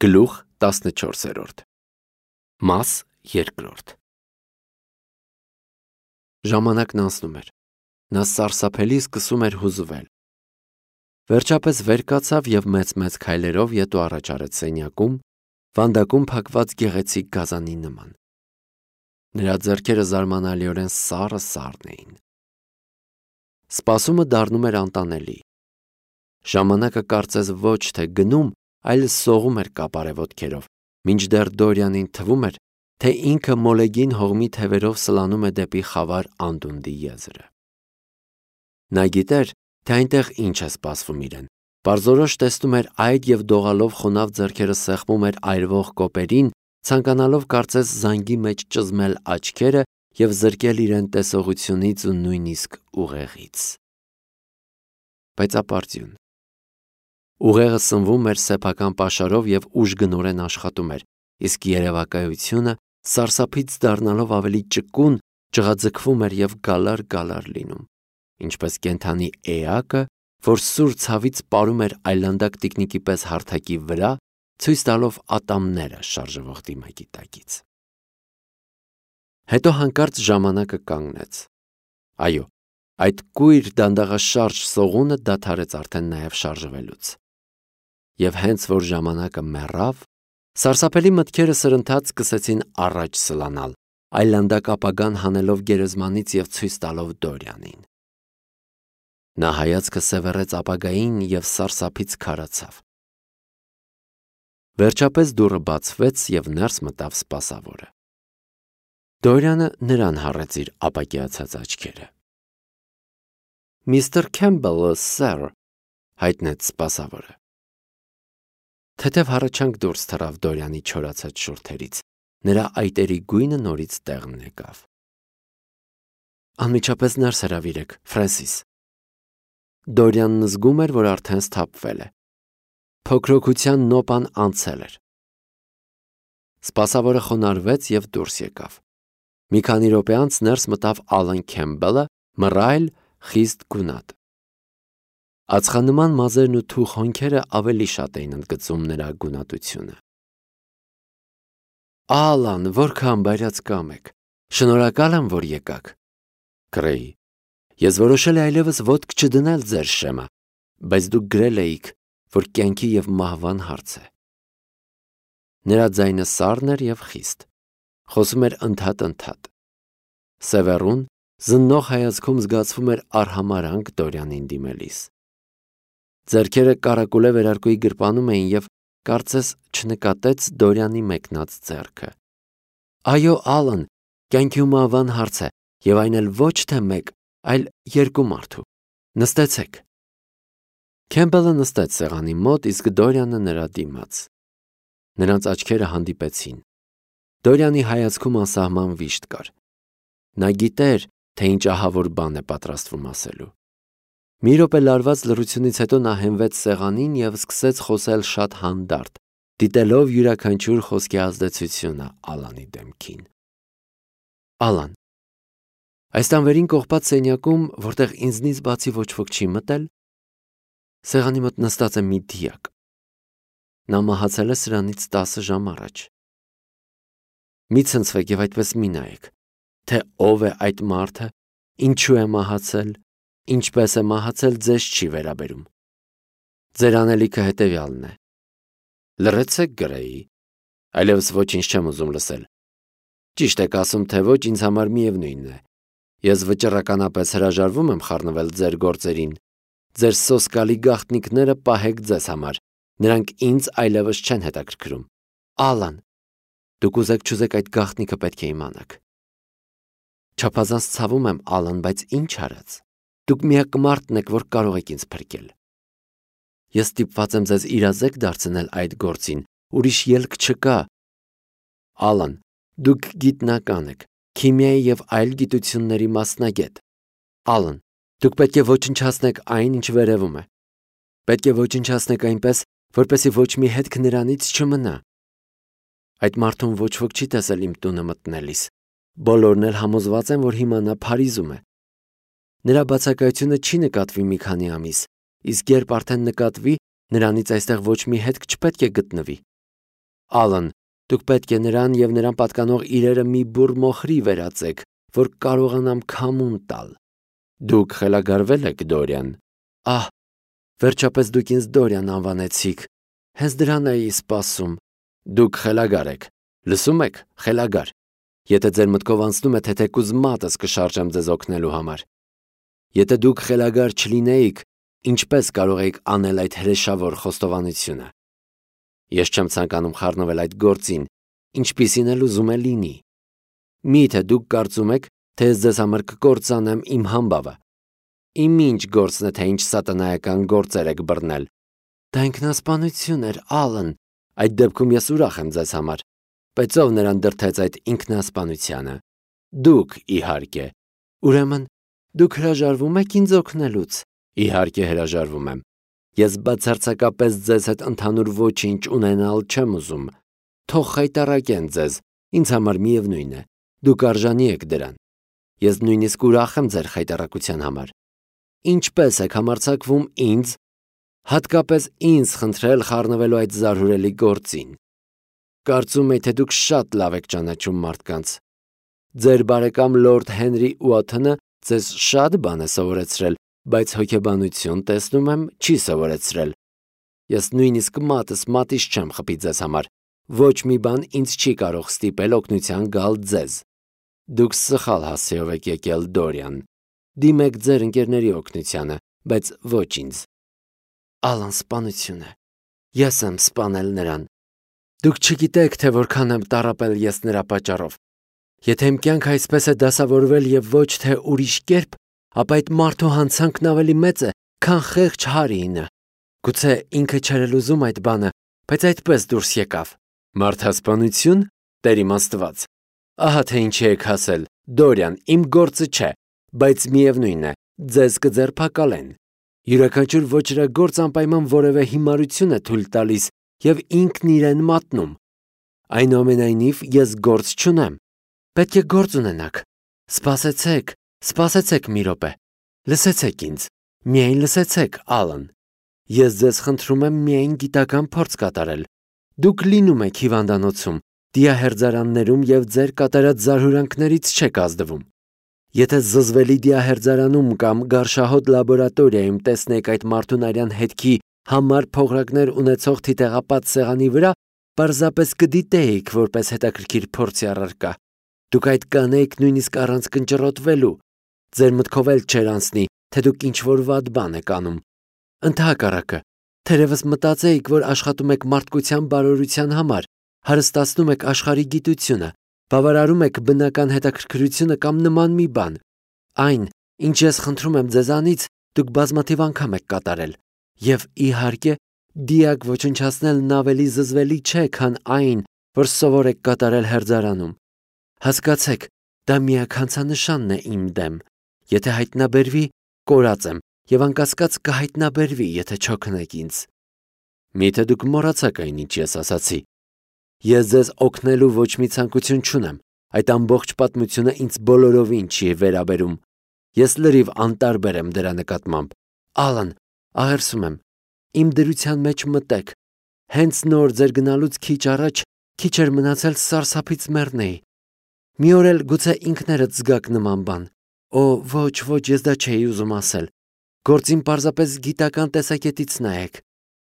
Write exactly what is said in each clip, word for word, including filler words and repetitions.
Գլուխ տասնչորսերորդ Մաս երկրորդ Ժամանակն անցնում էր, նա սարսափելի սկսում էր հուզվել։ Վերջապես վեր կացավ և մեծ-մեծ քայլերով ետո առաջ արեց սենյակում, վանդակում փակված գեղեցիկ գազանի նման։ Նրա ձեռքերը զարմանալիորեն սառը սառն էին։ Սպասումը դառնում էր անտանելի։ Ժամանակը կարծես ոչ թե գնում, այլ սողում էր կապարե ոտքերով, մինչդեռ Դորյանին թվում էր, թե ինքը մոլեգին հողմի թևերով սլանում է դեպի խավար անդունդի եզրը։ Նա գիտեր, թե այնտեղ ինչ է սպասվում իրեն, պարզորոշ տեսնում էր այդ և դողալով խոնավ ձեռքերը սեղմում էր այրվող կոպերին, ցանկանալով կարծես զանգի մեջ ճզմել աչքերը և զրկել իրեն տեսողությունից ու նույնիսկ ուղեղից։ Բայց ապարդյուն։ Ուղեղը սնվում էր սեփական պաշարով և ուժգնորեն աշխատում էր, իսկ երևակայությունը սարսափից դառնալով ավելի ճկուն, ջղաձգվում էր և գալար-գալար լինում, ինչպես կենդանի էակը, որ սուր ցավից պարում էր այլանդակ տիկնիկի պես հարթակի վրա, ցույց տալով ատամները շարժվող դիմակի տակից։ Հետո հանկարծ ժամանակը կանգնեց։ Այո, այդ կույր դանդաղաշարժ սողունը դադարեց արդեն նաև շարժվելուց։ Եվ հենց որ ժամանակը մեռավ, սարսափելի մտքերը սրընթաց սկսեցին առաջ սլանալ, այլանդակ ապագան հանելով գերեզմանից և ցույց տալով Դորյանին։ Նա հայացքը սևեռեց ապագային և սարսափից քարացավ։ Վերջապես դուռը բացվեց և ներս մտավ սպասավորը։ Դորյանը նրան հառեց իր ապակիացած աչքերը։ «Միստր Քեմբելը, սըր», հայտնեց սպասավորը։ Թեթև հառաչանք դուրս թռավ Դորյանի չորացած շուրթերից, նրա այտերի գույնը նորից տեղն եկավ։ «Անմիջապես ներս հրավիրեք, Ֆրենսիս»։ Դորյանն զգում էր, որ արդեն սթափվել է։ Փոքրոքության նոպան անցել էր։ Սպասավորը խոնարհվեց և դուրս եկավ։ Մի քանի րոպե անց ներս մտավ Ալեն Քեմբելը, մռայլ, խիստ գունատ։ Ածխանման մազերն ու թուխ հոնքերը ավելի շատ էին ընդգծում նրա գունատությունը։ «Ալան, որքան բայրած կամ եք, շնորհակալ եմ, որ եկաք», կռեի։ «Ես որոշել էի այլևս ոտք չդնել ձեր շեմը, բայց դուք գրել էիք, որ կյանքի և մահվան հարց է»։ Նրա ձայնը սառն էր և խիստ, խոսում էր ընդհատ-ընդհատ։ Սևեռուն, զննող հայացքում զգացվում էր արհամարհանք Դորյանին դիմելիս։ Ձեռքերը կարակուլե վերարկուի գրպանում էին և կարծես չնկատեց Դորյանի մեկնած ձեռքը։ «Այո, Ալան, կյանքի ու մահվան հարց է, և այն էլ ոչ թե մեկ, այլ երկու մարդու։ Նստեցեք»։ Քեմբելը նստեց սեղանի մոտ, իսկ Դորյանը նրա դիմաց։ Նրանց աչքերը հանդիպեցին։ Դորյանի հայացքում անսահման վիշտ կար։ Նա գիտեր, թե ինչ ահավոր բան է պատրաստվում ասելու։ Մի րոպե լարված լռությունից հետո նա հենվեց սեղանին և սկսեց խոսել շատ հանդարտ, դիտելով յուրաքանչյուր խոսքի ազդեցությունը Ալանի դեմքին։ «Ալան, այս տան վերին կողպած սենյակում, որտեղ ինձնից բացի ոչ ոք չի մտել, սեղանի մոտ նստած է մի դիակ։ Նա մահացել է սրանից տասը ժամ առաջ։ Մի ցնցվեք և այդպես մի նայեք, թե ով է այդ մարդը, ինչու է մահացել, ինչպես է մահացել, ձեզ չի վերաբերում։ Ձեր անելիքը հետևյալն է։ Լռեցեք, գրեի, այլևս ոչինչ չեմ ուզում լսել։ Ճիշտ եք ասում, թե ոչ, ինձ համար միևնույն է։ Ես վճռականապես հրաժարվում եմ խառնվել ձեր գործերին։ Ձեր սոսկալի գաղտնիքները պահեք ձեզ համար, նրանք ինձ այլևս չեն հետաքրքրում։ Ալան, դուք ուզեք չուզեք այդ գաղտնիքը պետք է իմանաք։ Չափազանց ցավում եմ, Ալան, բայց ինչ արած։ Դուք միակ մարդն եք, որ կարող եք ինձ փրկել։ Ես ստիպված եմ ձեզ իրազեկ դարձնել այդ գործին, ուրիշ ելք չկա։ Ալան, դուք գիտնական եք, քիմիայի և այլ գիտությունների մասնագետ։ Ալան, դուք պետք է ոչնչացնեք այն, ինչ վերևում է։ Պետք է ոչնչացնեք այնպես, որպեսզի ոչ մի հետք նրանից չմնա։ Այդ մարդուն ոչ ոք չի տեսել իմ տունը մտնելիս։ Բոլորն էլ համոզված են, որ հիմա նա Փարիզում է։ Նրա բացակայությունը չի նկատվի մի քանի ամիս, իսկ երբ արդեն նկատվի, նրանից այստեղ ոչ մի հետք չպետք է գտնվի։ Ալան, դուք պետք է նրան և նրան պատկանող իրերը մի բուռ մոխրի վերածեք, որ կարողանամ քամուն տալ։ Դուք խելագարվել եք, Դորիան։ Ահ, վերջապես դուք ինձ Դորիան անվանեցիք։ Հենց դրան էի սպասում։ Դուք խելագար եք, լսում եք, խելագար։ Եթե ձեր մտքով անցնում է, թե թեկուզ մատս կշարժեմ ձեզ օգնելու համար։ Եթե դուք խելագար չլինեիք, ինչպես կարող էիք անել այդ հրեշավոր խոստովանությունը։ Ես չեմ ցանկանում խառնվել այդ գործին, ինչպիսին էլ ուզում է լինի։ Միթե դուք կարծում եք, թե ես ձեզ համար կկործանեմ իմ համբավը։ Իմ ինչ գործն է, թե ինչ սատանայական գործեր եք բռնել։ Դա ինքնասպանություն էր, Ալան։ Այդ դեպքում ես ուրախ եմ ձեզ համար։ Բայց ով նրան դրդեց այդ ինքնասպանությանը։ Դուք, իհարկե։ Ուրեմն, դուք հրաժարվում եք ինձ օգնելուց։ Իհարկե հրաժարվում եմ։ Ես բացարձակապես ձեզ հետ ընդհանուր ոչինչ ունենալ չեմ ուզում։ Թող խայտառակեն ձեզ, ինձ համար միևնույն է։ Դուք արժանի եք դրան։ Ես նույնիսկ ուրախ եմ ձեր խայտառակության համար։ Ինչպես եք համարձակվում ինձ, հատկապես ինձ խնդրել խառնվելու այդ զարհուրելի գործին։ Կարծում եի, թե դուք շատ լավ եք ճանաչում մարդկանց։ Ձեր բարեկամ լորդ Հենրի Ուոթոնը ձեզ շատ բան է սովորեցրել, բայց հոգեբանություն, տեսնում եմ, չի սովորեցրել։ Ես նույնիսկ մատս մատից չեմ խփի ձեզ համար։ Ոչ մի բան ինձ չի կարող ստիպել օգնության գալ ձեզ։ Դուք սխալ հասցեով եք եկել, Դորիան։ Դիմեք ձեր ընկերների օգնությանը, բայց ոչ ինձ։ Ալան սպանություն է։ Ես եմ սպանել նրան։ Դուք չգիտեք, թե որքան եմ տառապել ես նրա պատճառով։ Եթե իմ կյանքը այսպես է դասավորվել եւ ոչ թե ուրիշ կերպ, ապա այդ մարդու հանցանքն ավելի մեծ է, քան խեղճ Հարիինը։ Գուցե ինքը չէր էլ ուզում այդ բանը, բայց այդպես դուրս եկավ։ Մարդասպանություն, Տեր իմ Աստված։ Ահա թե ինչի եք հասել, Դորիան, իմ գործը չէ, բայց միևնույն է, ձեզ կձերբակալեն։ Յուրաքանչյուր ոճրագործ անպայման որևէ հիմարություն է թույլ տալիս եւ ինքն իրեն մատնում։ Այնուամենայնիվ ես գործ չունեմ։ Պետք է գործ ունենաք։ Սպասեցեք, սպասեցեք մի րոպե։ Լսեցեք ինձ, միայն լսեցեք, Ալան։ Ես ձեզ խնդրում եմ միայն գիտական փորձ կատարել։ Դուք լինում եք հիվանդանոցում, դիահերձարաններում եւ ձեր կատարած զարհուրանքներից չեք ազդվում։ Եթե զզվելի դիահերձարանում կամ գարշահոտ լաբորատորիայում տեսնեք այդ մարդուն արյան հետքի համար փողրակներ ունեցող թիթեղապատ սեղանի վրա, պարզապես կդիտեիք որպես հետաքրքիր փորձի առարկա։ Դուք այդ կանեիք նույնիսկ առանց կնճռոտվելու։ Ձեր մտքով էլ չէր անցնի, թե դուք ինչ-որ վատ բան եք անում։ Ընդհակառակը, թերևս մտածեիք, որ աշխատում եք մարդկության բարօրության համար, հարստացնում եք աշխարհի գիտությունը, բավարարում եք բնական հետաքրքրությունը կամ նման մի բան։ Այն, ինչ ես խնդրում եմ ձեզանից, դուք բազմաթիվ անգամ եք կատարել։ Եվ իհարկե, դիակ ոչնչացնելն ավելի զզվելի չէ, քան այն, որ սովոր եք կատարել հերձարանում։ Հասկացեք, դա միականցանշանն է իմ դեմ։ Եթե հայտնաբերվի, կորած եմ, եւ անկասկած կհայտնաբերվի, եթե չօգնեք ինձ։ Միթե դուք մոռացաք այն, ինչ ես ասացի։ Ես ձեզ օգնելու ոչ մի ցանկություն չունեմ։ Այդ ամբողջ պատմությունը ինձ բոլորովին չի վերաբերում։ Ես լրիվ անտարբեր եմ դրա նկատմամբ։ Ալան, աղերսում եմ, իմ դրության մեջ մտեք։ Հենց նոր ձեր գնալուց քիչ առաջ քիչ էր մնացել սարսափից մեռնեի։ Մի օր էլ գուցե ինքներդ զգաք նման բան։ Օ, ոչ, ոչ, ես դա չէի ուզում ասել։ Գործին պարզապես գիտական տեսակետից նայեք։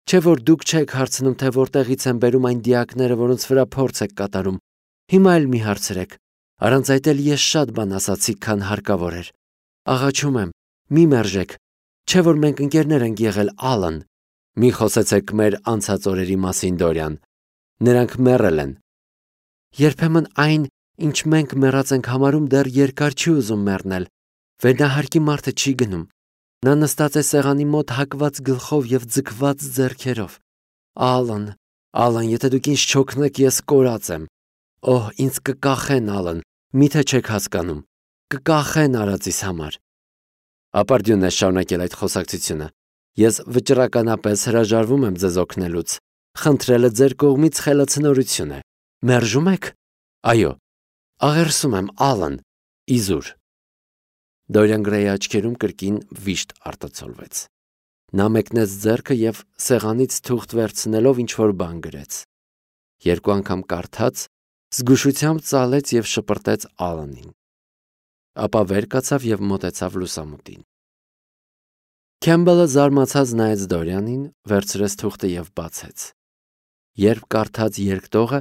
Չէ որ դուք չեք հարցնում, թե որտեղից են բերում այն դիակները, որոնց վրա փորձ եք կատարում։ Հիմա էլ մի հարցրեք։ Առանց այդ էլ ես շատ բան ասացի, քան հարկավոր էր։ Աղաչում եմ, մի մերժեք։ Չէ որ մենք ընկերներ ենք եղել, Ալան։ Մի խոսեցեք մեր անցած օրերի մասին, Դորիան։ Նրանք մեռել են։ Երբեմն այն, ինչ մենք մեռած ենք համարում, դեռ երկար չի ուզում մեռնել։ Վերնահարկի մարդը չի գնում։ Նա նստած է սեղանի մոտ հակված գլխով եւ ձգված ձեռքերով։ Ալան, Ալան, եթե դուք ինձ չօգնեք, ես կորած եմ։ Օհ, ինձ կկախեն, Ալան, միթե չեք հասկանում։ Կկախեն արածիս համար։ Ապարդյունն է շարունակել այդ խոսակցությունը։ Ես վճռականապես հրաժարվում եմ ձեզ օգնելուց։ Խնդրելը ձեր կողմից խելացնորություն է։ Մերժում եք։ Այո։ Աղերսում եմ, Ալան, իզուր։ Դորիան Գրեյի աչքերում կրկին վիշտ արտացոլվեց։ Նա մեկնեց ձեռքը եւ սեղանից թուղթ վերցնելով ինչ-որ բան գրեց։ Երկու անգամ կարդաց, զգուշությամբ ծալեց և շպրտեց Ալանին, ապա վեր կացավ և մոտեցավ լուսամուտին։ Քեմբելը զարմացած նայեց Դորյանին, վերցրեց թուղթը և բացեց։ Երբ կարդաց երկտողը,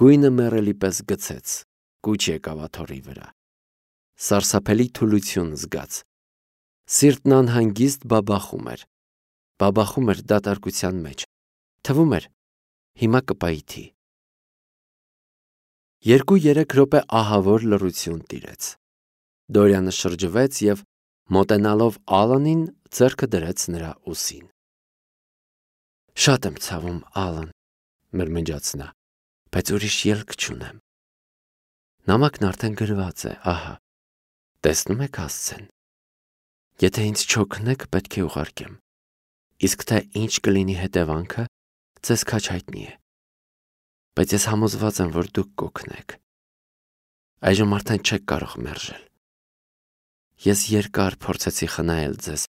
գույնը մեռելի պես գցեց, կուչ եկավ աթոռի վրա։ Սարսափելի թուլություն զգաց։ Սիրտն անհանգիստ բաբախում էր, բաբախում էր դատարկության մեջ, թվում էր հիմա կպայթի։ Երկու-երեք րոպե ահավոր լռություն տիրեց։ Դորյանը շրջվեց և, մոտենալով Ալանին, ձեռքը դրեց նրա ուսին։ «Շատ եմ ցավում, Ալան», մրմնջաց նա, «բայց ուրիշ ելք չունեմ։ Նամակն արդեն գրված է, ահա, տեսնում եք հասցեն։ Եթե ինձ չօգնեք, պետք է ուղարկեմ, իսկ թե ինչ կլինի հետևանքը, ձեզ քաջ հայտնի է, բայց ես համոզված եմ, որ դուք կօգնեք։ Այժմ արդեն չեք կարող մերժել։ Ես երկար փորձեցի խնայել ձեզ,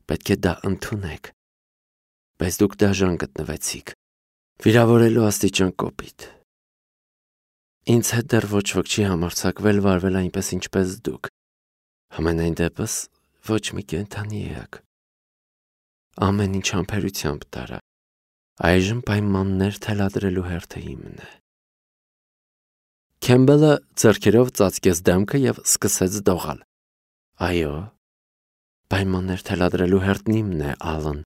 պետք է դա ընդունեք, բայց դուք դաժան գտնվեցիք, վիրավորելու աստիճան կոպիտ։ Ինձ հետ դեռ ոչ ոք չի համարձակվել վարվել այնպես, ինչպես դուք, համենայն դեպս ոչ մի կենդանի էակ։ Ամեն ինչ համբերությամբ տարա, այժմ պայմաններ թելադրելու հերթը իմն է»։ Քեմբելը ձեռքերով ծածկեց դեմքը և սկսեց դողալ։ «Այո, պայմաններ թելադրելու հերթն իմն է, Ալան,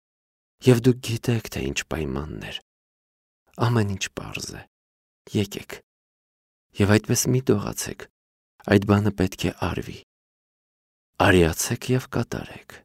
և դուք գիտեք, թե ինչ պայմաններ։ Ամեն ինչ պարզ է։ Եկեք։ Եվ այդպես մի դողացեք, այդ բանը պետք է արվի։ Արիացեք և կատարեք»։